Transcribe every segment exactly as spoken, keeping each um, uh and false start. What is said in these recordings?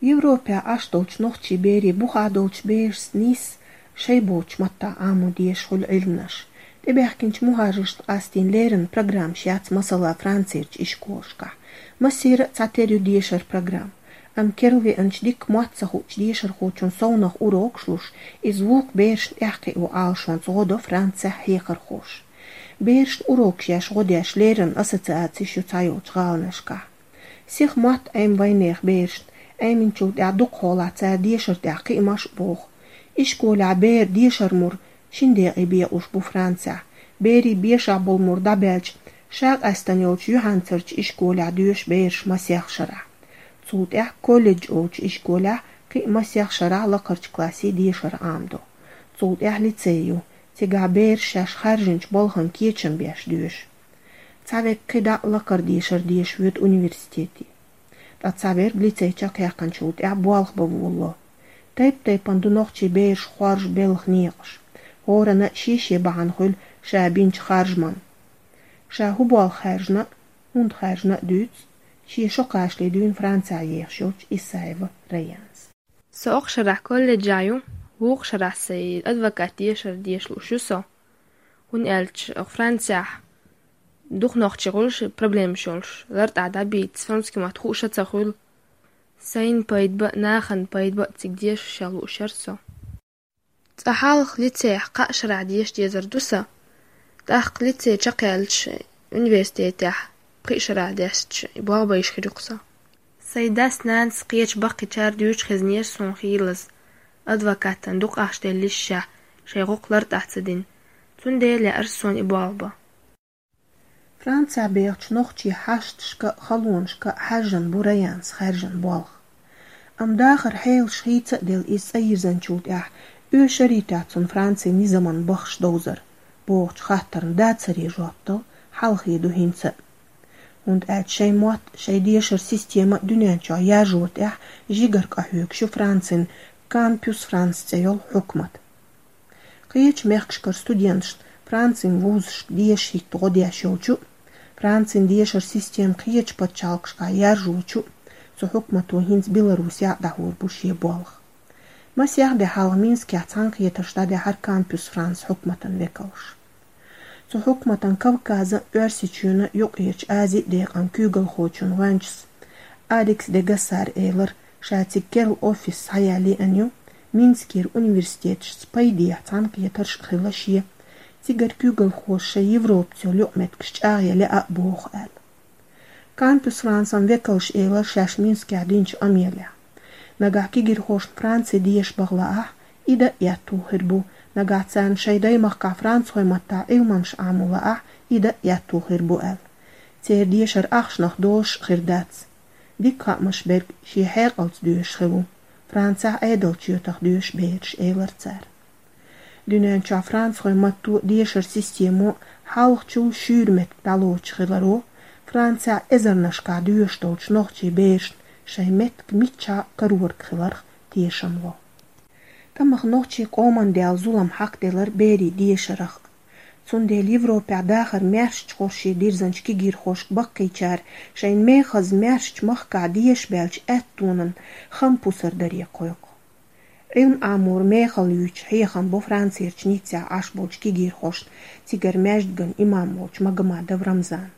Европехь Ӏаш долчу нохчийн берийн бухахь долчу берашца нийсса шайн боцчу маттахь Ӏамо дезаш хуьлу Ӏилманаш. ТӀебаьхкинчу мухӀажаршна къастийна леррина программаш яц, масала, Францерчу ишколашкахь. Массеран а цхьатерра ю дешаран программа. Амма керла веанчу дикка мотт ца хуучу дешархочунна совнаха урокаш луш, иза вукху берашна тӀекхио Ӏалашонца гӀо до Францехь хьехархоша. Берашна урокаш еш, гӀо деш леррина ассоциацеш ю цхьайолчу гӀаланашкахь. Сиха мотт Ӏема вайнехан берашна, Ӏеминчул тӀаьхьа дукхахьолахь цара дешарна тӀехь кхиамаш а боху. Ишколехь беран дешаран мур шина декъе бекъалуш бу Францехь. Берийн бешахь болу мур дӀабаьлча, ша къаьстина йолчу юьхьанцарчу ишколехь доьшу бераш масех шарахь. Цул тӀаьхьа колледж олучу ишколехь кхин а масех шарахь лакхарчу классийн дешар Ӏамадо. Цул тӀаьхьа лицей ю, цигахь бераш шаьш хаьржинчу балхана кечам беш доьшу. Цхьаверг кхидӀа а лакхара дешар деша воьду университете. Ткъа цхьаверг лицей чекхъяьккхинчул тӀаьхьа болх бан волало. Тайп-тайпана ду нохчийн бераш хоржу белхан некъаш. ХӀоранна а шен-шен бахьана хуьлу ша бинчу харжаман. Ша хӀун болх хаьржина а, хӀунда хаьржина а дуьйцу шен шо кхачале дуьйна Францехь ехаш йолчу Исаева Раяна. Со окху шарахь колледжехь ю, вукху шарахь сайн адвокат дешар деша лууш ю со. ХӀунда аьлча оха Францехь дукха нохчий хуьлуш, проблемаш йолуш, лартӀахь дӀабийца, французский мотт хууш а ца хуьлу. Сайна пайда бан а, нахана пайда бан а цига дешаш а лууш яра со. Цкъа хьалха лицейхь кхаа шарахь деша дезар ду сан. ТӀаккха лицей чекхъяьлча, университетехь пхи шарахь дешча, и болх бан йиш хир ю-кх сан. Сайн дас-нанас, кхечу баккхийчара дуьйцуш хезнера суна хийлаза, адвокатан дукха ахча деллашехь, шайн гӀуллакх лартӀахь ца дина. Цундела яра суна и болх бан. Францехь бехачу нохчийн хьашташка а, халонашка а хьаьжжина бу Раянас хаьржина болх. Амма дахаран хьелаш хийца а делла, иза цӀа йирзинчул тӀаьхьа оьшуш а яц цунна Францин низаман бахаш довзар, бохучу хаттарна да-царе жоп дала хьалхе ду хӀинца а. ХӀунда аьлча шайн мотт, шайн дешаран система дуьнен чохь яржорна тӀехь жигара къахьоьгуш ю Францин Кампюс Франс цӀе йолу хьукмат. Кхечу мехкашкара студенташна Францин вузашка деша хӀитта гӀо деш йолчу а, Францин дешаран система кхечу пачхьалкхашкахь яржочу а цу хьукмато хӀинца Беларусехь а дӀахьур бу шен болх. Масех де хьалха Минскехь цхьаьнакхетарш дӀадаьхьира Кампюс Франс хьукматан векалша. Цу хьукматан Кавказан, Оьрсийчоьнан, Юккъерчу Азин декъан куьйгалхочун гӀоьнчас Алекс де Гассара элира, ша цига керла офис схьаялийна ю, Минскера университеташца пайдехьа цхьаьнакхетарш а хилла шен, цигара куьйгалхоша шайн Европаца йолу юкъаметтигаш чӀагӀъян лаьа а боху аьлла. Кампюс Франсан векалша элира шаьш Минскехь динчу къамелехь. Нагахь кегийрхошна Франци деша баха лаахь, и дан а аьтту хир бу, нагахь царна шайн даймахкахь францхойн маттахь Ӏилманаш Ӏамо лаахь, и дан а аьтту хир бу аьлла. Церан дешар ахчанах долуш а хир дац. Дика хаамаш берг шен хьекъалца доьшуш хир ву, Францехь Ӏедалчоьтах доьшу бераш, элира цара. Дуьнен чохь францхойн матто, дешаран системо хьалхачул шуьйра меттиг дӀалоцуш хиларо, Францехь эзарнашкахь доьшуш долчу нохчийн берашна шайн меттиг миччахьа карориг хиларх тешам ло. Тамаха нохчийн къоман даьлла зулам хьакхаделира берийн дешарах. Цундела Европехь дахаран маьршачу хӀорш дирзинчу кегийрхошка баккхийчара шайн мехаза маьршачу махкахь деша баьлча аьттонан хам пусар даре кхойкху. Ӏилма Ӏамор мехала юьйцуш хьехам бо Францерчу Ниццехь Ӏаш болчу кегийрхошна, цигара маьждиган имам волчу Магомадов Рамзана.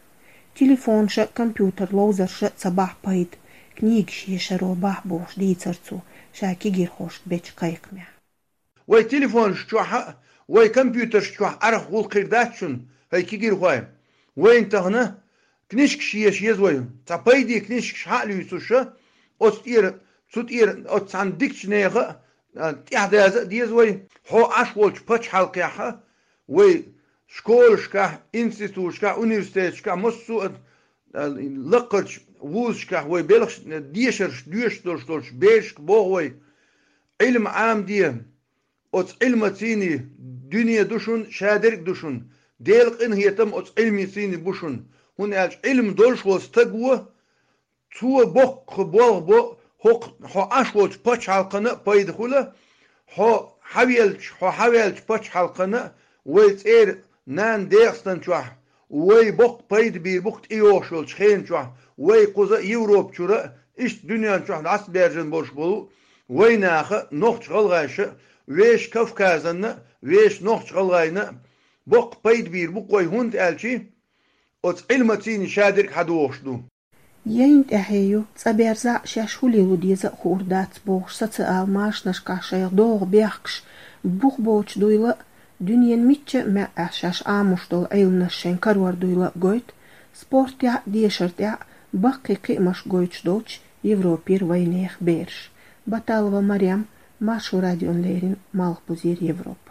Телефонаш а, компьютер ловзарш а ца бахь пайда, книгаш ешаро бахь бохуш дийцира цо ша кегийрхошка бечу кхайкхамехь. Вай телефонаш чохь а, вай компьютерш чохь арахь гӀуллакх хир дац шуна, хӀай кегийрхой. Вайна тахана книжкаш еша еза вай, цхьа пайде книжкаш хьа а луьйцуша, оцу тӀера, цу тӀера оцу цхьана дикачу нехан а, а, тӀаьхьадаза а деза вай. Хьо Ӏаш волчу пачхьалкхехь а, вай школашкахь, институташкахь, университеташкахь, массо а, а, лакхарчу вузашкахь вай белхаш, дешарш доьшуш долуш долчу берашка боху вай: Ӏилма Ӏамаде, оцу Ӏилмацийний дуьне ду шуна, шадерг а ду шуна, Делан къинхетам оцу Ӏилмацийний бу шуна, хӀунда аьлча Ӏилма долуш волу стаг ву, цо боккха болх бо, хӀокху хьо Ӏаш волчу пачхьалкхана а пайда хуьла, хьо хьавелча, хьо хьавелчу пачхьалкхана а, вай цӀера нана Дегестан чохь, вай боккха пайда бийр бу-кх тӀейогӀуш йолчу хенан чохь, вай кхуза а Европа чуьра а, Иштта дуьнен чохь дӀасабаьржина болуш болу вайнаха, нохча гӀалгӀайша, вешан Кавказана, вешан нохча гӀалгӀайна боккха пайда бийр бу-кх вай, хӀунда аьлча оцу Ӏилманций шадерг хьадогӀуш ду. Яйна тӀаьхье ю, цӀа берзахь а шаьш хӀун лело деза а хуур дац бохуш, социал машанашкахь шайх догӀу бехкаш бух боцуш дуйла а, дуьненан мичча а маьӀӀехь шаьш Ӏамош долу Ӏилманаш шайн карор дуйла а гойту, спортехь а, дешар тӀехь а баккхий кхиамаш гойтуш долчу Европера вайнехан бераш. Баталова Марем, Маршо радиона леррина, Малхбузера Европа.